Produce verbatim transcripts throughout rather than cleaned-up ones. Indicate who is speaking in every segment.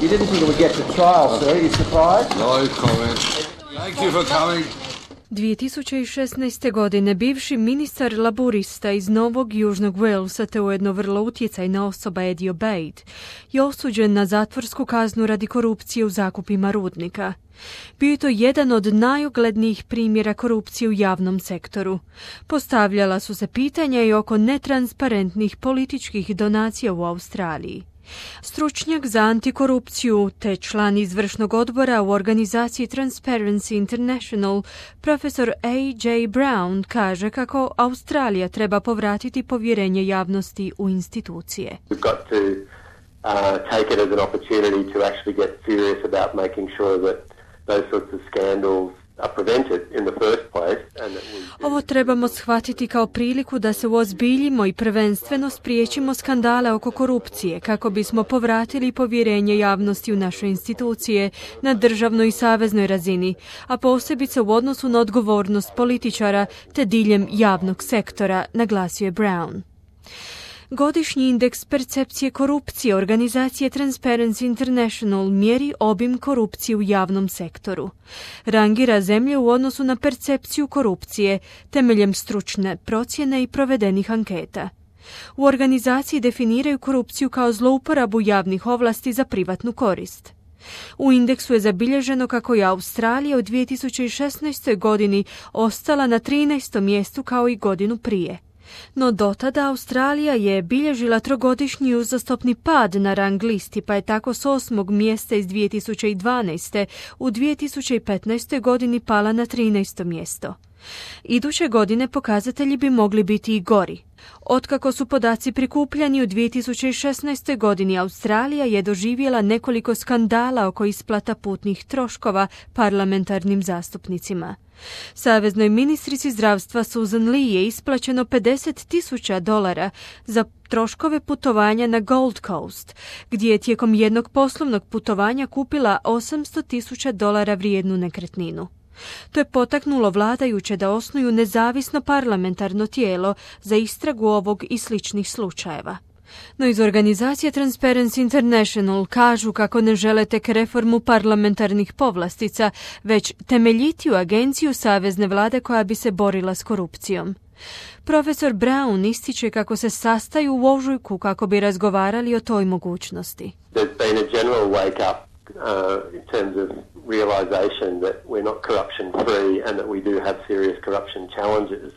Speaker 1: You didn't think it would get to trial, sir. Are you surprised?
Speaker 2: No comment. Thank you for coming.
Speaker 3: dvije tisuće šesnaeste. godine bivši ministar laburista iz Novog Južnog Walesa te ujedno vrlo utjecajna osoba Eddie Obeid je osuđen na zatvorsku kaznu radi korupcije u zakupima rudnika. Bio je to jedan od najuglednijih primjera korupcije u javnom sektoru. Postavljala su se pitanja i oko netransparentnih političkih donacija u Australiji. Stručnjak za antikorupciju te član izvršnog odbora u organizaciji Transparency International, profesor A J Brown, kaže kako Australija treba povratiti povjerenje javnosti u institucije.
Speaker 4: We've got to uh, take it as an opportunity to actually get serious about making sure that those sorts of scandals are prevented in the first place. And that we...
Speaker 3: Ovo trebamo shvatiti kao priliku da se uozbiljimo i prvenstveno spriječimo skandale oko korupcije kako bismo povratili povjerenje javnosti u naše institucije na državnoj i saveznoj razini, a posebice u odnosu na odgovornost političara te diljem javnog sektora, naglasio je Brown. Godišnji indeks percepcije korupcije organizacije Transparency International mjeri obim korupcije u javnom sektoru. Rangira zemlje u odnosu na percepciju korupcije temeljem stručne procjene i provedenih anketa. U organizaciji definiraju korupciju kao zlouporabu javnih ovlasti za privatnu korist. U indeksu je zabilježeno kako je Australija u dvije tisuće šesnaestoj. godini ostala na trinaestom mjestu kao i godinu prije. No dotada Australija je bilježila trogodišnji uzastopni pad na rang listi, pa je tako s osmog mjesta iz dvije tisuće dvanaeste. u dvije tisuće petnaestoj. godini pala na trinaesto mjesto. Iduće godine pokazatelji bi mogli biti i gori. Otkako su podaci prikupljani u dvije tisuće šesnaestoj. godini, Australija je doživjela nekoliko skandala oko isplata putnih troškova parlamentarnim zastupnicima. Saveznoj ministrici zdravstva Susan Lee je isplaćeno pedeset tisuća dolara za troškove putovanja na Gold Coast, gdje je tijekom jednog poslovnog putovanja kupila osamsto tisuća dolara vrijednu nekretninu. To je potaknulo vladajuće da osnuju nezavisno parlamentarno tijelo za istragu ovog i sličnih slučajeva. No iz organizacije Transparency International kažu kako ne žele tek reformu parlamentarnih povlastica, već temeljitiju agenciju savezne vlade koja bi se borila s korupcijom. Profesor Brown ističe kako se sastaju u ožujku kako bi razgovarali o toj mogućnosti.
Speaker 4: There's been a general wake up uh, in terms of realization that we're not corruption free and that we do have serious corruption challenges.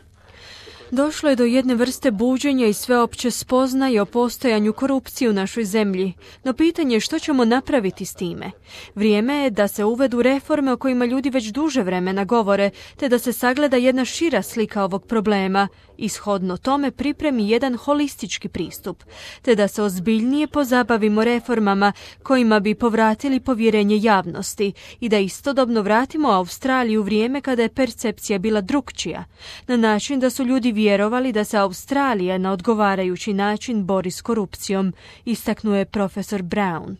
Speaker 3: Došlo je do jedne vrste buđenja i sveopće spoznaje o postojanju korupcije u našoj zemlji, no pitanje je što ćemo napraviti s time. Vrijeme je da se uvedu reforme o kojima ljudi već duže vremena govore, te da se sagleda jedna šira slika ovog problema, ishodno tome pripremi jedan holistički pristup, te da se ozbiljnije pozabavimo reformama kojima bi povratili povjerenje javnosti i da istodobno vratimo Australiju u vrijeme kada je percepcija bila drukčija, na način da su ljudi vjerovali da se Australija na odgovarajući način bori s korupcijom, istaknuo je profesor Brown.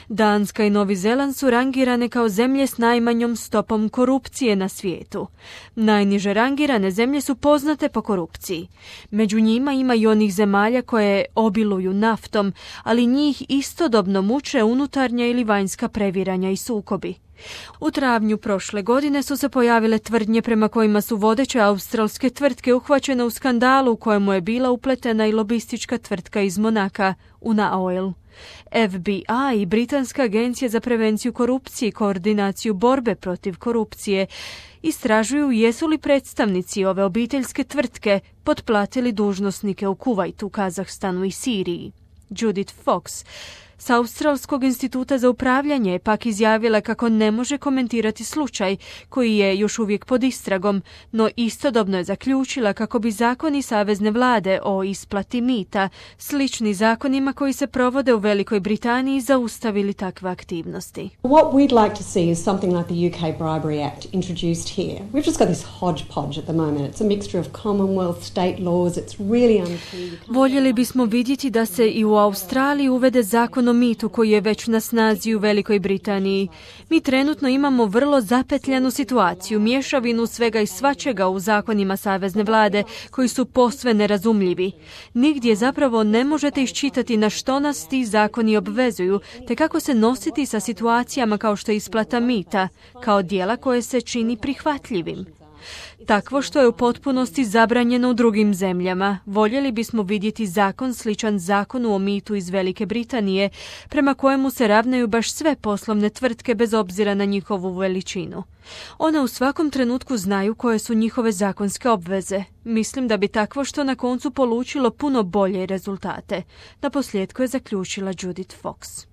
Speaker 3: Danska i Novi Zeland su rangirane kao zemlje s najmanjom stopom korupcije na svijetu. Najniže rangirane zemlje su poznate po korupciji. Među njima ima i onih zemalja koje obiluju naftom, ali njih istodobno muče unutarnja ili vanjska previranja i sukobi. U travnju prošle godine su se pojavile tvrdnje prema kojima su vodeće australske tvrtke uhvaćene u skandalu u kojemu je bila upletena i lobistička tvrtka iz Monaka, Una Oil. F B I i Britanska agencija za prevenciju korupcije i koordinaciju borbe protiv korupcije istražuju jesu li predstavnici ove obiteljske tvrtke potplatili dužnosnike u Kuvajtu, Kazahstanu i Siriji. Judith Fox s Australskog instituta za upravljanje je pak izjavila kako ne može komentirati slučaj koji je još uvijek pod istragom, no istodobno je zaključila kako bi zakoni savezne vlade o isplati mita, slični zakonima koji se provode u Velikoj Britaniji, zaustavili takve aktivnosti.
Speaker 5: What we'd like to see is something like the U K Bribery Act introduced here. We've just got this hodgepodge at the moment. It's a mixture of Commonwealth, state laws. It's really unclear.
Speaker 3: Voljeli bismo vidjeti da se i u Australiji uvede zakon o o mitu koji je već na snazi u Velikoj Britaniji. Mi trenutno imamo vrlo zapetljanu situaciju, mješavinu svega i svačega u zakonima savezne vlade koji su posve nerazumljivi. Nigdje zapravo ne možete iščitati na što nas ti zakoni obvezuju, te kako se nositi sa situacijama kao što je isplata mita, kao dijela koje se čini prihvatljivim. Takvo što je u potpunosti zabranjeno u drugim zemljama. Voljeli bismo vidjeti zakon sličan zakonu o mitu iz Velike Britanije, prema kojemu se ravnaju baš sve poslovne tvrtke bez obzira na njihovu veličinu. One u svakom trenutku znaju koje su njihove zakonske obveze. Mislim da bi takvo što na koncu polučilo puno bolje rezultate. Naposljetku je zaključila Judith Fox.